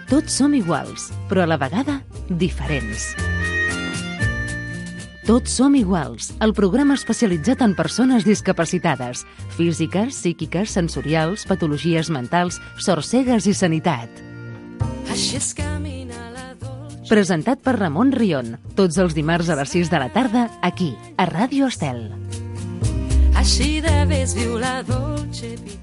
Tots som iguals, però a la vegada diferents. Tots som iguals, el programa especialitzat en persones discapacitades, físiques, psíquiques, sensorials, patologies mentals, sorcegues i sanitat. Presentat per Ramon Rion, tots els dimarts a les 6 de la tarda, aquí, a Ràdio Estel. Així de vés viu la dolce vita.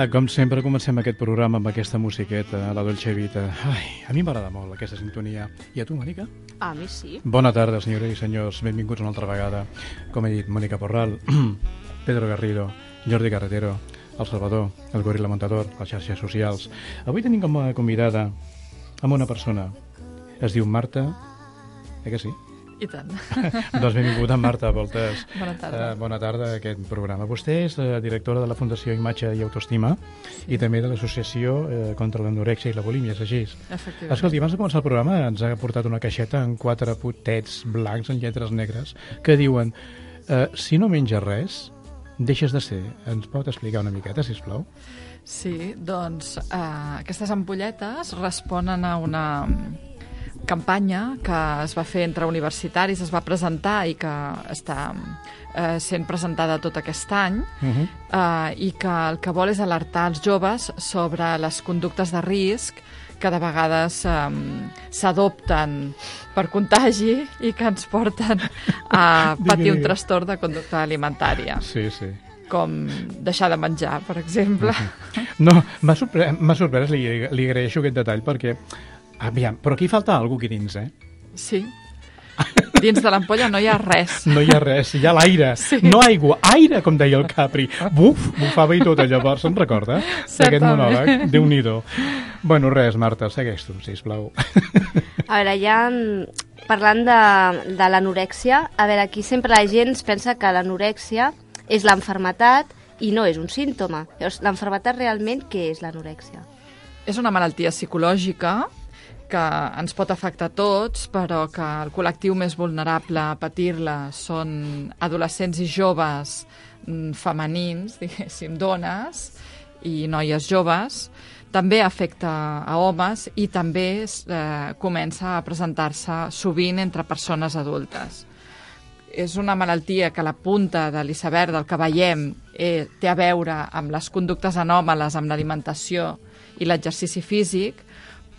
Com sempre, comencem aquest programa amb aquesta musiqueta, la Dolce Vita. Ai, a mi m'agrada molt aquesta sintonia. I a tu, Mònica? A mi sí. Bona tarda, senyores i senyors. Benvinguts una altra vegada. Com he dit, Mònica Porral, Pedro Garrido, Jordi Carretero, El Salvador, el Gorila Montador, les xarxes socials. Avui tenim com a convidada amb una persona. Es diu Marta. Que sí? I tant. Doncs benvinguda, Marta Voltes. Bona tarda. Bona tarda a aquest programa. Vostè és directora de la Fundació Imatge i Autoestima i també de l'Associació contra l'Anorèxia i la Bulímia, és així? Efectivament. Escolti, abans de començar el programa ens ha portat una caixeta amb 4 potets blancs en lletres negres que diuen si no menges res, deixes de ser. Ens pot explicar una miqueta, sisplau? Sí, doncs aquestes ampolletes responen a una campanya que es va fer entre universitaris, es va presentar i que està sent presentada tot aquest any i que el que vol és alertar els joves sobre les conductes de risc que de vegades s'adopten per contagi i que ens porten a patir un trastorn de conducta alimentària. Sí, sí. Com deixar de menjar, per exemple. No, m'ha sorprès, li agraeixo aquest detall perquè aviam, però aquí falta alguna cosa aquí dins, Sí. Dins de l'ampolla no hi ha res. No hi ha res, hi ha l'aire. Sí. No aigua, aire, com deia el Capri. Buf, bufava i tot, llavors, se'n recorda? D'aquest monòleg? Déu-n'hi-do. Bueno, res, Marta, segueix tu, sisplau. A veure, ja parlant de l'anorèxia, a veure, aquí sempre la gent es pensa que l'anorèxia és l'enfermetat i no és un símptoma. Llavors, l'enfermetat realment, què és l'anorèxia? És una malaltia psicològica que ens pot afectar a tots, però que el col·lectiu més vulnerable a patir-la són adolescents i joves femenins, diguéssim, dones i noies joves. També afecta a homes i també comença a presentar-se sovint entre persones adultes. És una malaltia que la punta de l'iceberg del que veiem té a veure amb les conductes anòmales, amb l'alimentació i l'exercici físic,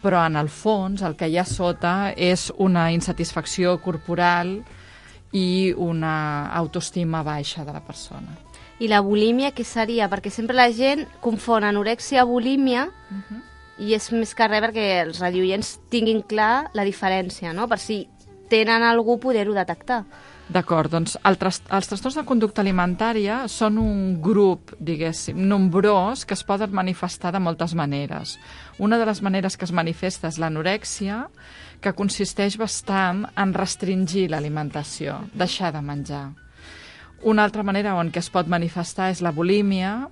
però en el fons el que hi ha sota és una insatisfacció corporal i una autoestima baixa de la persona. I la bulímia què seria? Perquè sempre la gent confon anorèxia i bulímia i és més que res perquè els radioients tinguin clar la diferència, no? Per si tenen algú poder-ho detectar. D'acord, doncs els trastorns de conducta alimentària són un grup, diguéssim, nombrós que es poden manifestar de moltes maneres. Una de les maneres que es manifesta és l'anorèxia, que consisteix bastant en restringir l'alimentació, deixar de menjar. Una altra manera en què es pot manifestar és la bulímia,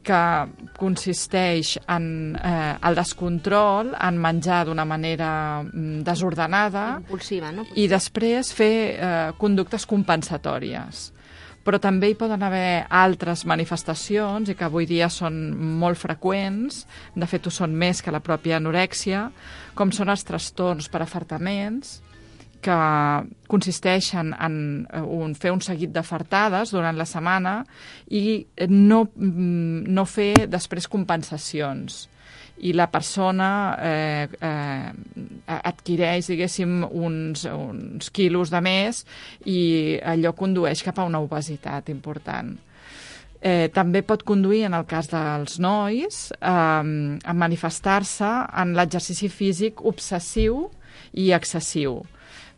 que consisteix en el descontrol, en menjar d'una manera desordenada, impulsiva, no? I després fer conductes compensatòries. Però també hi poden haver altres manifestacions i que avui dia són molt freqüents, de fet ho són més que la pròpia anorèxia, com són els trastorns per afartaments, que consisteixen en fer un seguit d'afartades durant la setmana i no fer després compensacions. I la persona adquireix, diguéssim, uns quilos de més i allò condueix cap a una obesitat important. També pot conduir, en el cas dels nois, a manifestar-se en l'exercici físic obsessiu i excessiu.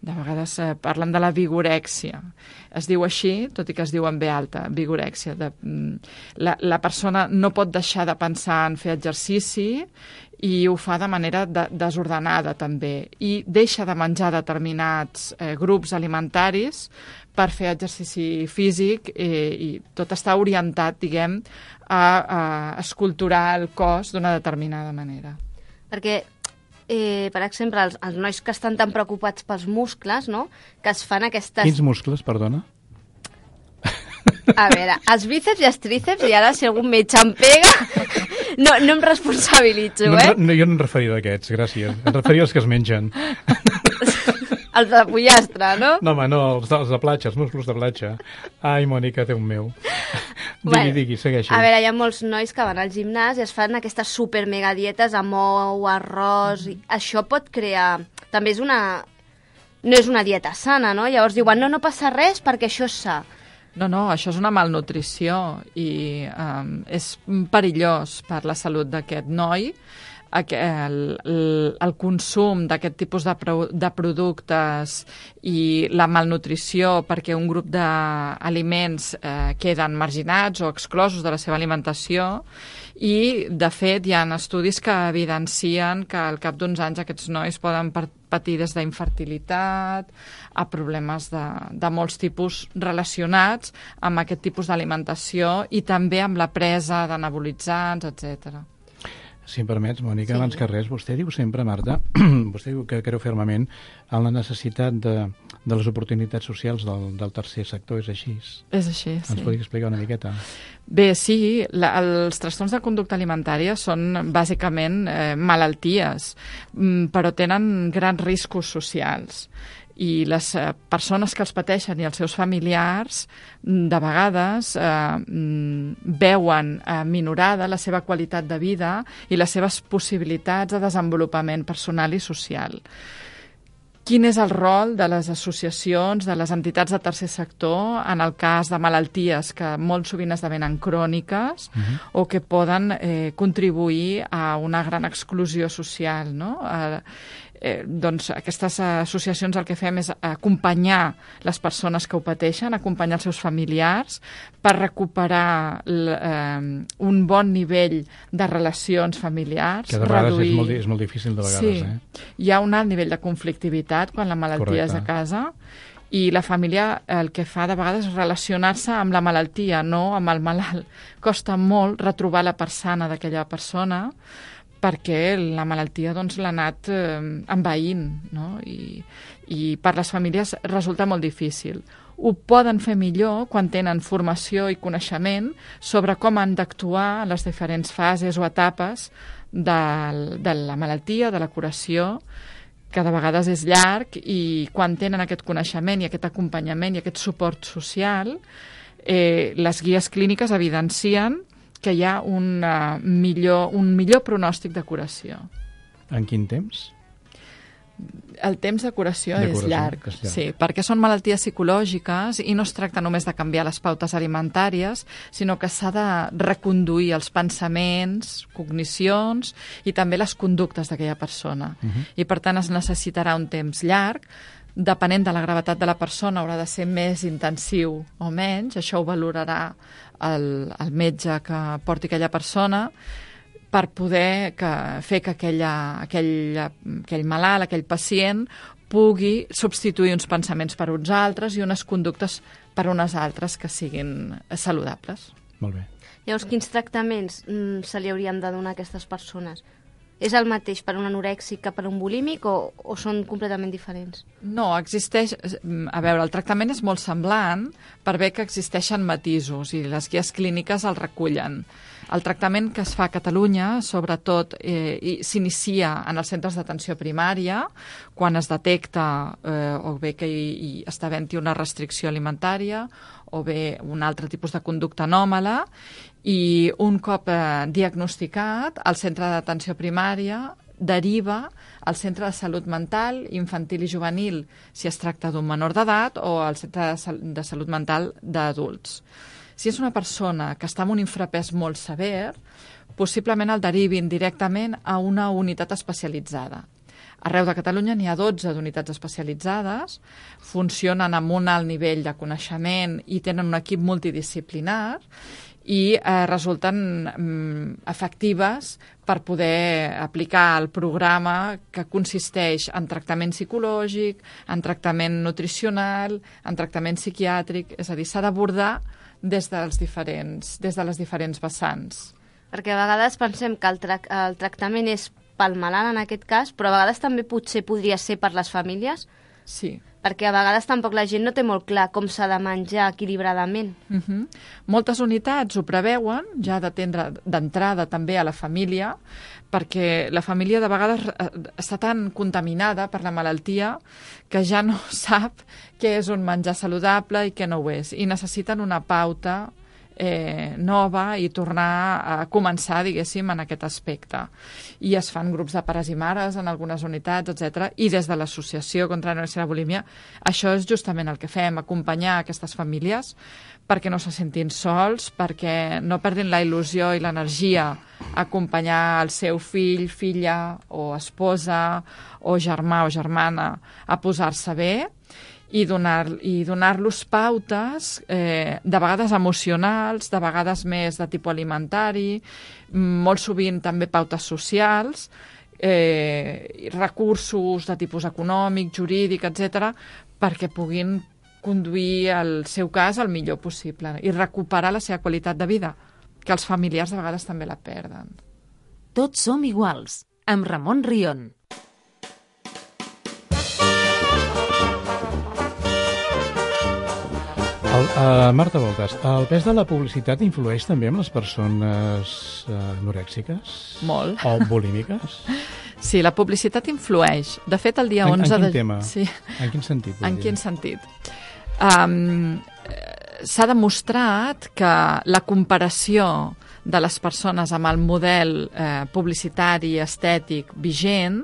De vegades parlen de la vigorèxia. Es diu així, tot i que es diu en B alta, vigorèxia. La persona no pot deixar de pensar en fer exercici i ho fa de manera desordenada també, i deixa de menjar determinats grups alimentaris per fer exercici físic, i tot està orientat, diguem, a esculturar el cos d'una determinada manera. Perquè, per exemple, els nois que estan tan preocupats pels muscles, no?, que es fan aquestes... Quins muscles, perdona? A veure, els bíceps i els tríceps, i ara si algun metge em pega, no em responsabilitzo, eh? No, jo no em referia a aquests, gràcies. Em referia als que es mengen. Els de pollastre, no? No, home, no, els de platja, els musclos de platja. Ai, Mònica, Déu meu. Digui, segueixi. A veure, hi ha molts nois que van al gimnàs i es fan aquestes super mega dietes amb ou, arròs... Això pot crear... També és una... No és una dieta sana, no? Llavors diuen, no passa res perquè això és sa. No, això és una malnutrició i és perillós per la salut d'aquest noi. El consum d'aquest tipus de productes i la malnutrició perquè un grup d'aliments queden marginats o exclosos de la seva alimentació, i de fet hi ha estudis que evidencien que al cap d'uns anys aquests nois poden patir des d'infertilitat a problemes de molts tipus relacionats amb aquest tipus d'alimentació i també amb la presa d'anabolitzants, etc. Si em permets, Mònica, abans que res, vostè diu sempre, Marta, vostè diu que creu fermament en la necessitat de les oportunitats socials del tercer sector, és així? És així, sí. Ens podria explicar una miqueta? Bé, sí, els trastorns de conducta alimentària són bàsicament malalties, però tenen grans riscos socials. I les persones que els pateixen i els seus familiars de vegades veuen minorada la seva qualitat de vida i les seves possibilitats de desenvolupament personal i social. Quin és el rol de les associacions, de les entitats de tercer sector en el cas de malalties que molt sovint esdevenen cròniques o que poden contribuir a una gran exclusió social, no? Doncs aquestes associacions el que fem és acompanyar les persones que ho pateixen, acompanyar els seus familiars per recuperar un bon nivell de relacions familiars. Que de vegades és molt difícil, de vegades. Sí, hi ha un alt nivell de conflictivitat quan la malaltia és a casa, i la família el que fa de vegades és relacionar-se amb la malaltia, no amb el malalt. Costa molt retrobar la persona d'aquella persona perquè la malaltia l'ha anat envaint, no? I per les famílies resulta molt difícil. Ho poden fer millor quan tenen formació i coneixement sobre com han d'actuar en les diferents fases o etapes de la malaltia, de la curació, que de vegades és llarg, i quan tenen aquest coneixement i aquest acompanyament i aquest suport social, les guies clíniques evidencien que hi ha un millor pronòstic de curació. En quin temps? El temps de curació és llarg, sí, perquè són malalties psicològiques i no es tracta només de canviar les pautes alimentàries, sinó que s'ha de reconduir els pensaments, cognicions i també les conductes d'aquella persona. I per tant es necessitarà un temps llarg. Depenent de la gravetat de la persona, haurà de ser més intensiu o menys. Això ho valorarà el metge que porti aquella persona per poder fer que aquell malalt, aquell pacient, pugui substituir uns pensaments per uns altres i unes conductes per unes altres que siguin saludables. Molt bé. Llavors, quins tractaments se li haurien de donar a aquestes persones? És el mateix per un anorèxic que per un bulímic o són completament diferents? No, existeix... A veure, el tractament és molt semblant per bé que existeixen matisos i les guies clíniques el recullen. El tractament que es fa a Catalunya, sobretot, s'inicia en els centres d'atenció primària, quan es detecta o bé que hi està havent-hi una restricció alimentària o bé un altre tipus de conducta anòmala, i un cop diagnosticat, el centre d'atenció primària deriva al centre de salut mental infantil i juvenil, si es tracta d'un menor d'edat, o al centre de salut mental d'adults. Si és una persona que està amb un infrapès molt sever, possiblement el derivin directament a una unitat especialitzada. Arreu de Catalunya n'hi ha 12 d'unitats especialitzades, funcionen amb un alt nivell de coneixement i tenen un equip multidisciplinar, i resulten efectives per poder aplicar el programa que consisteix en tractament psicològic, en tractament nutricional, en tractament psiquiàtric, és a dir, s'ha d'abordar des de les diferents vessants. Perquè a vegades pensem que el tractament és pel malalt en aquest cas, però a vegades també potser podria ser per les famílies. Sí. Perquè a vegades tampoc la gent no té molt clar com s'ha de menjar equilibradament. Moltes unitats ho preveuen, ja d'atendre d'entrada també a la família, perquè la família de vegades està tan contaminada per la malaltia que ja no sap què és un menjar saludable i què no ho és, i necessiten una pauta nova i tornar a començar, diguéssim, en aquest aspecte. I es fan grups de pares i mares en algunes unitats, etc. I des de l'Associació contra l'Anorèxia i la Bulímia, això és justament el que fem, acompanyar aquestes famílies perquè no se sentin sols, perquè no perdin la il·lusió i l'energia a acompanyar el seu fill, filla o esposa o germà o germana a posar-se bé, i donar-los pautes, de vegades emocionals, de vegades més de tipus alimentari, molt sovint també pautes socials, recursos de tipus econòmic, jurídic, etc., perquè puguin conduir el seu cas el millor possible i recuperar la seva qualitat de vida, que els familiars de vegades també la perden. Tots som iguals, amb Ramon Rion. Marta Voltas, el pes de la publicitat influeix també en les persones anorèxiques? Molt. O bulímiques? Sí, la publicitat influeix. De fet, el dia 11 de... En quin tema? Sí. En quin sentit? En quin sentit? S'ha demostrat que la comparació de les persones amb el model publicitari i estètic vigent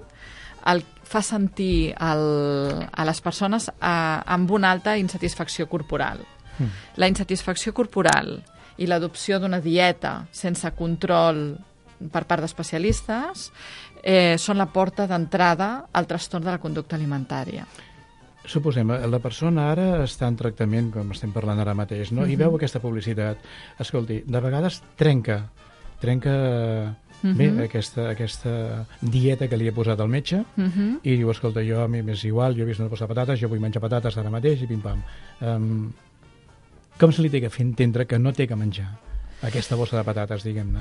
fa sentir a les persones amb una alta insatisfacció corporal. La insatisfacció corporal i l'adopció d'una dieta sense control per part d'especialistes són la porta d'entrada al trastorn de la conducta alimentària. Suposem, la persona ara està en tractament, com estem parlant ara mateix, no? I veu aquesta publicitat. Escolti, de vegades trenca bé aquesta dieta que li he posat al metge i diu, escolta, jo a mi m'és igual, jo he vist una bossa de patates, jo vull menjar patates ara mateix i pim-pam. Com se li té que fer entendre que no té que menjar aquesta bossa de patates, diguem-ne?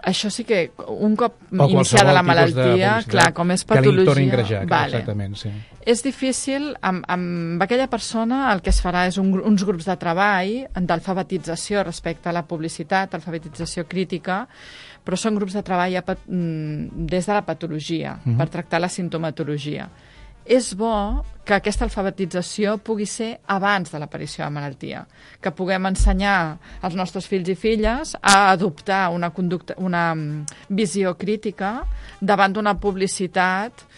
Això sí que, un cop iniciada la malaltia, clar, com és patologia... Que li torni a engrajar, exactament, sí. És difícil, amb aquella persona el que es farà és uns grups de treball d'alfabetització respecte a la publicitat, alfabetització crítica, però són grups de treball des de la patologia, per tractar la sintomatologia. És bo que aquesta alfabetització pugui ser abans de l'aparició de la malaltia, que puguem ensenyar als nostres fills i filles a adoptar una visió crítica davant d'una publicitat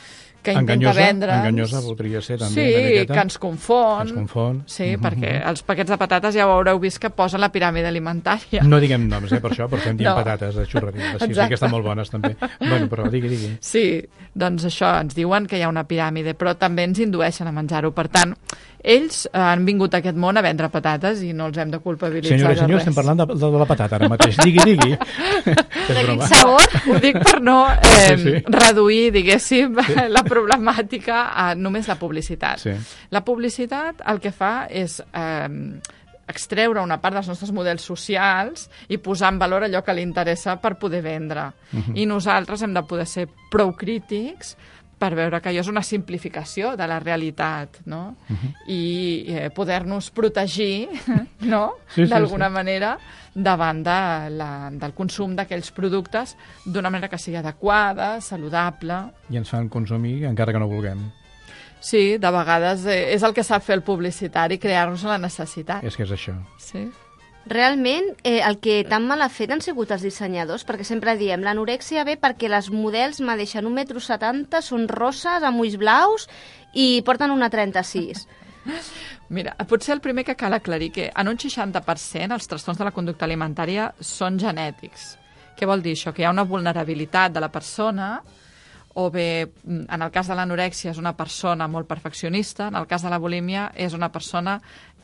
que intenta vendre'ns... Enganyosa voldria ser també, sí, una miqueta. Que ens confon. Ens confon. Sí, perquè els paquets de patates ja ho haureu vist que posen la piràmide alimentària. No diguem noms, per això, però estem dient patates de xurreria. Sí, que estan molt bones, també. Bueno, però digui. Sí, doncs això, ens diuen que hi ha una piràmide, però també ens indueixen a menjar-ho. Per tant, ells han vingut a aquest món a vendre patates i no els hem de culpabilitzar de res. Senyora, estem parlant de la patata ara mateix. Digui. De quin sabor? Ho dic per no reduir, diguéssim, la problemàtica a només la publicitat. Sí. La publicitat el que fa és extreure una part dels nostres models socials i posar en valor allò que li interessa per poder vendre. I nosaltres hem de poder ser prou crítics per veure que allò és una simplificació de la realitat, no? I poder-nos protegir, no? D'alguna manera davant del consum d'aquells productes d'una manera que sigui adequada, saludable. I ens fan consumir encara que no vulguem. Sí, de vegades és el que sap fer el publicitari, crear-nos la necessitat. És que és això. Sí. Realment, el que tan mal ha fet han sigut els dissenyadors, perquè sempre diem, l'anorèxia ve perquè les models medeixen 1,70 m, són rosses, amb ulls blaus i porten una 36. Mira, potser el primer que cal aclarir que en un 60% els trastorns de la conducta alimentària són genètics. Què vol dir això? Que hi ha una vulnerabilitat de la persona, o bé, en el cas de l'anorèxia és una persona molt perfeccionista, en el cas de la bulímia és una persona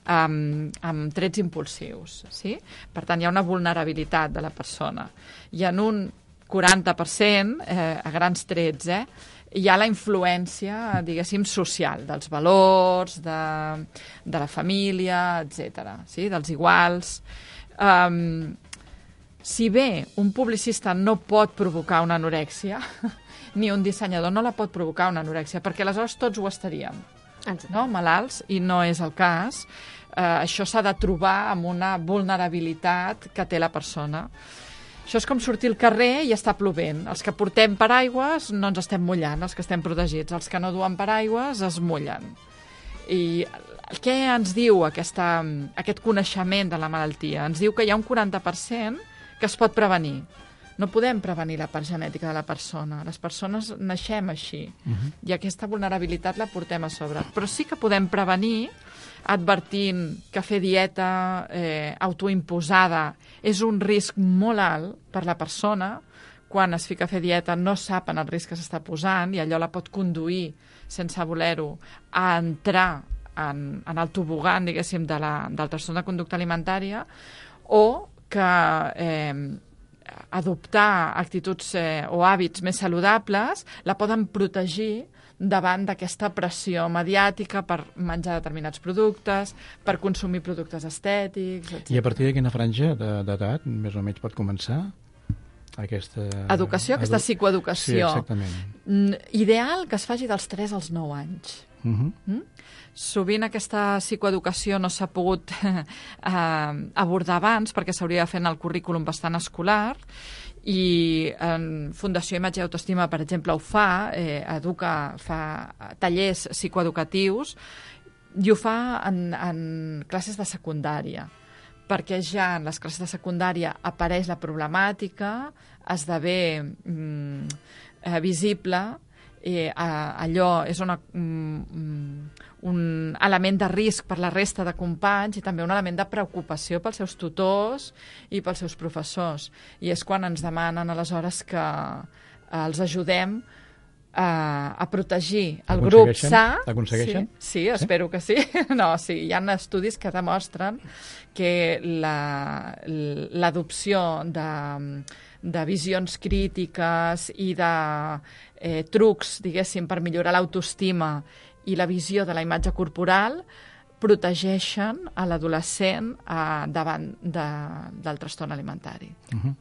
amb trets impulsius. Sí? Per tant, hi ha una vulnerabilitat de la persona. I en un 40%, a grans trets, hi ha la influència, diguéssim, social, dels valors, de la família, etc. Sí? Dels iguals. Si bé un publicista no pot provocar una anorèxia, ni un dissenyador no la pot provocar una anorèxia, perquè aleshores tots ho estaríem, no? Malalts, i no és el cas. Això s'ha de trobar amb una vulnerabilitat que té la persona. Això és com sortir al carrer i està plovent. Els que portem paraigües no ens estem mullant, els que estem protegits. Els que no duen paraigües es mullen. I què ens diu aquest coneixement de la malaltia? Ens diu que hi ha un 40% que es pot prevenir. No podem prevenir la part genètica de la persona. Les persones naixem així. I aquesta vulnerabilitat la portem a sobre. Però sí que podem prevenir advertint que fer dieta autoimposada és un risc molt alt per la persona. Quan es fica a fer dieta no sap en el risc que s'està posant i allò la pot conduir, sense voler-ho, a entrar en el tobogan, diguéssim, del trastorn de conducta alimentària, o que adoptar actituds o hàbits més saludables la poden protegir davant d'aquesta pressió mediàtica per menjar determinats productes, per consumir productes estètics, etc. I a partir de quina franja d'edat més o menys pot començar aquesta... Educació, aquesta psicoeducació. Sí, exactament. Ideal que es faci dels 3 als 9 anys. Sovint aquesta psicoeducació no s'ha pogut abordar abans perquè s'hauria de fer en el currículum bastant escolar i en Fundació Imatge i Autoestima, per exemple, ho fa, fa tallers psicoeducatius i ho fa en classes de secundària, perquè ja en les classes de secundària apareix la problemàtica, esdevé visible, allò és un element de risc per la resta de companys i també un element de preocupació pels seus tutors i pels seus professors. I és quan ens demanen aleshores que els ajudem a protegir el grup sa. Aconsegueixen? Sí, espero que sí. No, sí, hi ha estudis que demostren que l'adopció de visions crítiques i de trucs, diguéssim, per millorar l'autoestima i la visió de la imatge corporal protegeixen a l'adolescent davant del trastorn alimentari.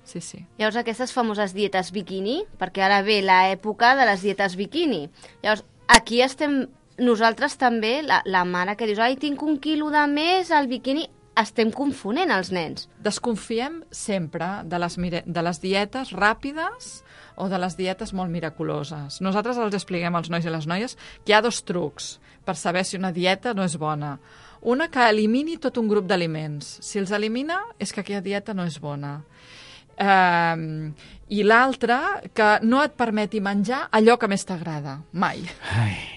Sí, sí. Llavors, aquestes famoses dietes bikini, perquè ara ve l'època de les dietes bikini. Llavors, aquí estem nosaltres també, la mare que dius, ai, tinc 1 quilo de més al bikini, estem confonent els nens. Desconfiem sempre de les dietes ràpides o de les dietes molt miraculoses. Nosaltres els expliquem als nois i les noies que hi ha 2 trucs per saber si una dieta no és bona. Una, que elimini tot un grup d'aliments. Si els elimina, és que aquella dieta no és bona. I l'altra, que no et permeti menjar allò que més t'agrada, mai.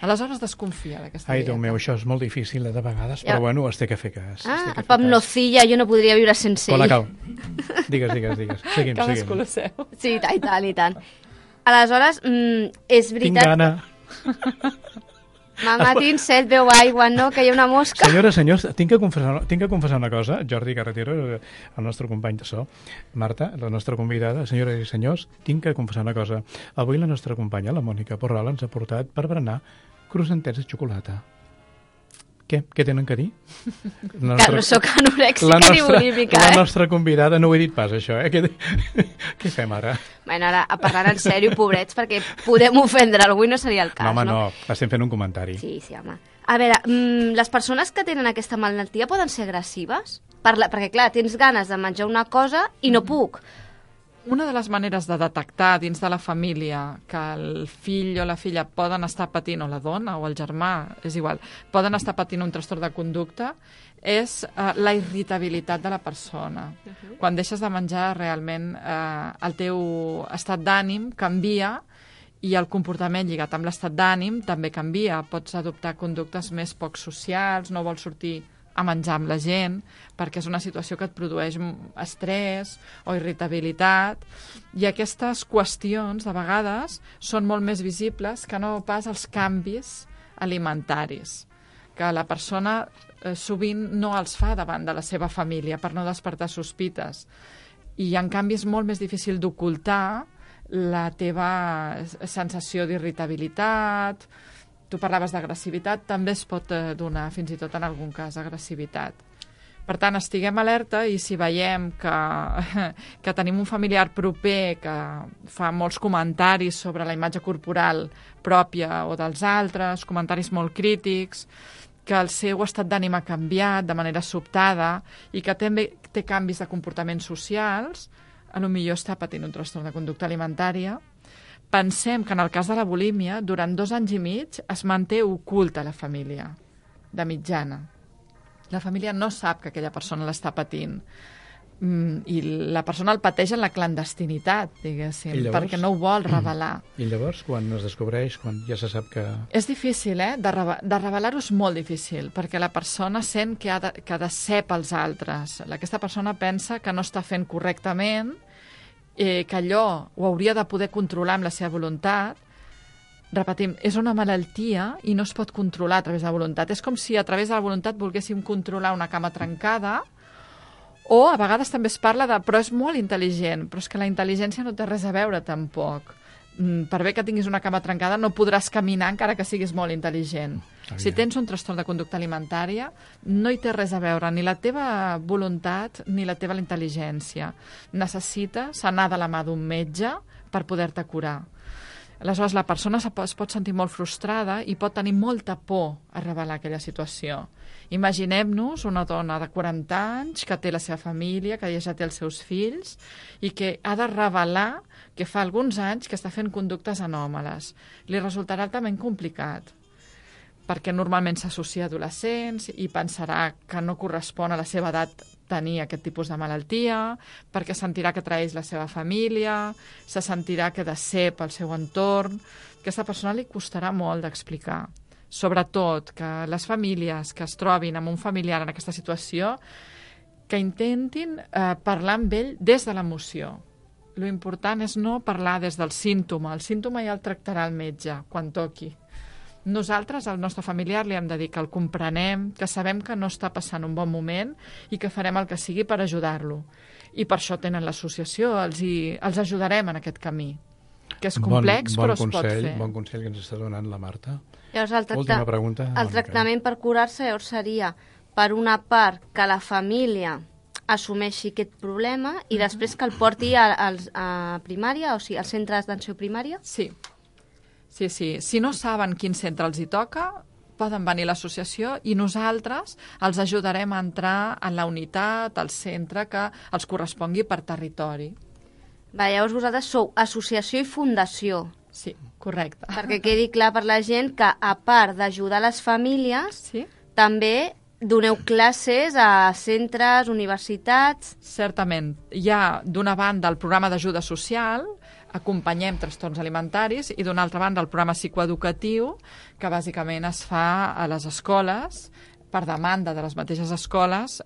Aleshores desconfia d'aquesta dieta. Ai, Déu meu, això és molt difícil de vegades, però bueno, es té que fer cas. El pa amb nocilla, jo no podria viure sense ell. Colacao. Digues. Seguim. Cadascú lo seu. Sí, i tant. Aleshores, és veritat... Tinc gana. Mama, tens set, veu aigua, no? Que hi ha una mosca. Senyors, tinc que confessar una cosa. Jordi Carretero, el nostre company de so, Marta, la nostra convidada, senyores i senyors, tinc que confessar una cosa. Avui la nostra companya, la Mònica Porral, ens ha portat per berenar croissantets de xocolata. Què tenen que dir? Que no sóc anorèxica ni bulímica, La nostra convidada, no ho he dit pas, això, Què fem ara? Bueno, ara, parlant en sèrio, pobrets, perquè podem ofendre algú i no seria el cas, no? Home, no, estem fent un comentari. Sí, home. A veure, les persones que tenen aquesta malaltia poden ser agressives? Perquè, clar, tens ganes de menjar una cosa i no puc. Una de les maneres de detectar dins de la família que el fill o la filla poden estar patint, o la dona o el germà, és igual, poden estar patint un trastorn de conducta és la irritabilitat de la persona. Quan deixes de menjar, realment el teu estat d'ànim canvia i el comportament lligat amb l'estat d'ànim també canvia. Pots adoptar conductes més poc socials, no vols sortir a menjar amb la gent, perquè és una situació que et produeix estrès o irritabilitat, i aquestes qüestions, de vegades, són molt més visibles que no pas els canvis alimentaris, que la persona sovint no els fa davant de la seva família per no despertar sospites. I, en canvi, és molt més difícil d'ocultar la teva sensació d'irritabilitat. Tu parlaves d'agressivitat, també es pot donar, fins i tot en algun cas, agressivitat. Per tant, estiguem alerta i si veiem que tenim un familiar proper que fa molts comentaris sobre la imatge corporal pròpia o dels altres, comentaris molt crítics, que el seu estat d'ànim ha canviat de manera sobtada i que també té canvis de comportaments socials, potser està patint un trastorn de conducta alimentària. Pensem que en el cas de la bulímia, durant 2 anys i mig es manté oculta a la família, de mitjana. La família no sap que aquella persona l'està patint i la persona el pateix en la clandestinitat, diguéssim, perquè no ho vol revelar. I llavors, quan es descobreix, quan ja se sap que... És difícil, de revelar-ho és molt difícil, perquè la persona sent que ha de ser pels altres. Aquesta persona pensa que no està fent correctament, que allò ho hauria de poder controlar amb la seva voluntat. Repetim, és una malaltia i no es pot controlar a través de la voluntat. És com si a través de la voluntat volguéssim controlar una cama trencada, o a vegades també es parla de però és molt intel·ligent, però és que la intel·ligència no té res a veure tampoc. Per bé que tinguis una cama trencada no podràs caminar encara que siguis molt intel·ligent. Si tens un trastorn de conducta alimentària no hi té res a veure ni la teva voluntat ni la teva intel·ligència. Necessites anar de la mà d'un metge per poder-te curar. Aleshores, la persona es pot sentir molt frustrada i pot tenir molta por a revelar aquella situació. Imaginem-nos una dona de 40 anys que té la seva família, que ja té els seus fills i que ha de revelar que fa alguns anys que està fent conductes anòmales. Li resultarà altament complicat, perquè normalment s'associa a adolescents i pensarà que no correspon a la seva edat tenir aquest tipus de malaltia, perquè sentirà que traeix la seva família, se sentirà que ha de ser pel seu entorn. A aquesta persona li costarà molt d'explicar. Sobretot que les famílies que es trobin amb un familiar en aquesta situació que intentin parlar amb ell des de l'emoció. Lo important és no parlar des del símptoma. El símptoma ja el tractarà el metge quan toqui. Nosaltres, al nostre familiar, li hem de dir que el comprenem, que sabem que no està passant un bon moment i que farem el que sigui per ajudar-lo. I per això tenen l'associació, els ajudarem en aquest camí, que és complex però es pot fer. Bon consell que ens està donant la Marta. Llavors, Última pregunta. El tractament per curar-se seria, per una part, que la família assumeixi aquest problema i després que el porti a primària, o sigui, als centres d'atenció primària? Sí. Sí. Si no saben quin centre els hi toca, poden venir a l'associació i nosaltres els ajudarem a entrar en la unitat, al centre que els correspongui per territori. Llavors vosaltres sou associació i fundació. Sí, correcte. Perquè quedi clar per la gent que, a part d'ajudar les famílies, també doneu classes a centres, universitats... Certament. Hi ha, d'una banda, el programa d'ajuda social, acompanyem trastorns alimentaris, i d'una altra banda el programa psicoeducatiu, que bàsicament es fa a les escoles, per demanda de les mateixes escoles,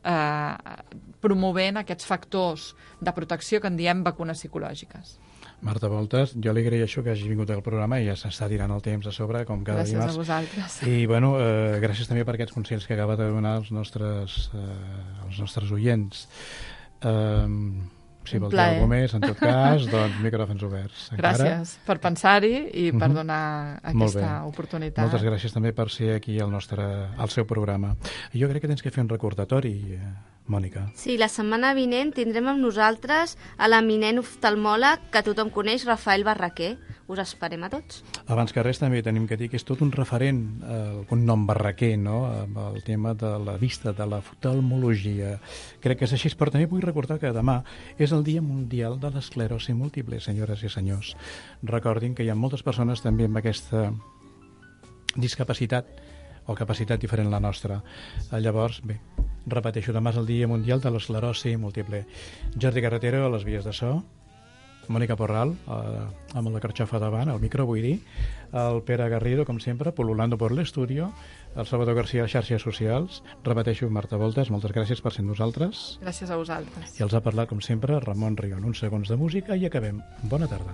promovent aquests factors de protecció que en diem vacunes psicològiques. Marta Voltas, jo li agraeixo que hagi vingut al programa i ja s'està tirant el temps a sobre, com cada dimarts. Gràcies a vosaltres. I, bueno, gràcies també per aquests consells que acaba de donar als nostres oients. Si vols dir alguna més, en tot cas, doncs micròfons oberts. Gràcies per pensar-hi i per donar aquesta oportunitat. Moltes gràcies també per ser aquí al seu programa. Jo crec que tens que fer un recordatori, Mònica. Sí, la setmana vinent tindrem amb nosaltres a l'eminent oftalmòleg que tothom coneix, Rafael Barraquer. Us esperem a tots. Abans que res també tenim que dir que és tot un referent, el cognom Barraquer, no? El tema de la vista, de l'oftalmologia. Crec que és així, però també vull recordar que demà és el Dia Mundial de l'Esclerosi Múltiple, senyores i senyors. Recordin que hi ha moltes persones també amb aquesta discapacitat o capacitat diferent a la nostra. Llavors, bé, repeteixo, demà és el Dia Mundial de l'Esclerosi Múltiple. Jordi Carretero a les vies de so, Mònica Porral, amb la carxofa davant, al micro, vull dir, el Pere Garrido, com sempre, pol·lulando por l'estudio, el Salvador García a les xarxes socials, repeteixo, Marta Voltas, moltes gràcies per ser amb nosaltres. Gràcies a vosaltres. I els ha parlat, com sempre, Ramon Rion. Uns segons de música i acabem. Bona tarda.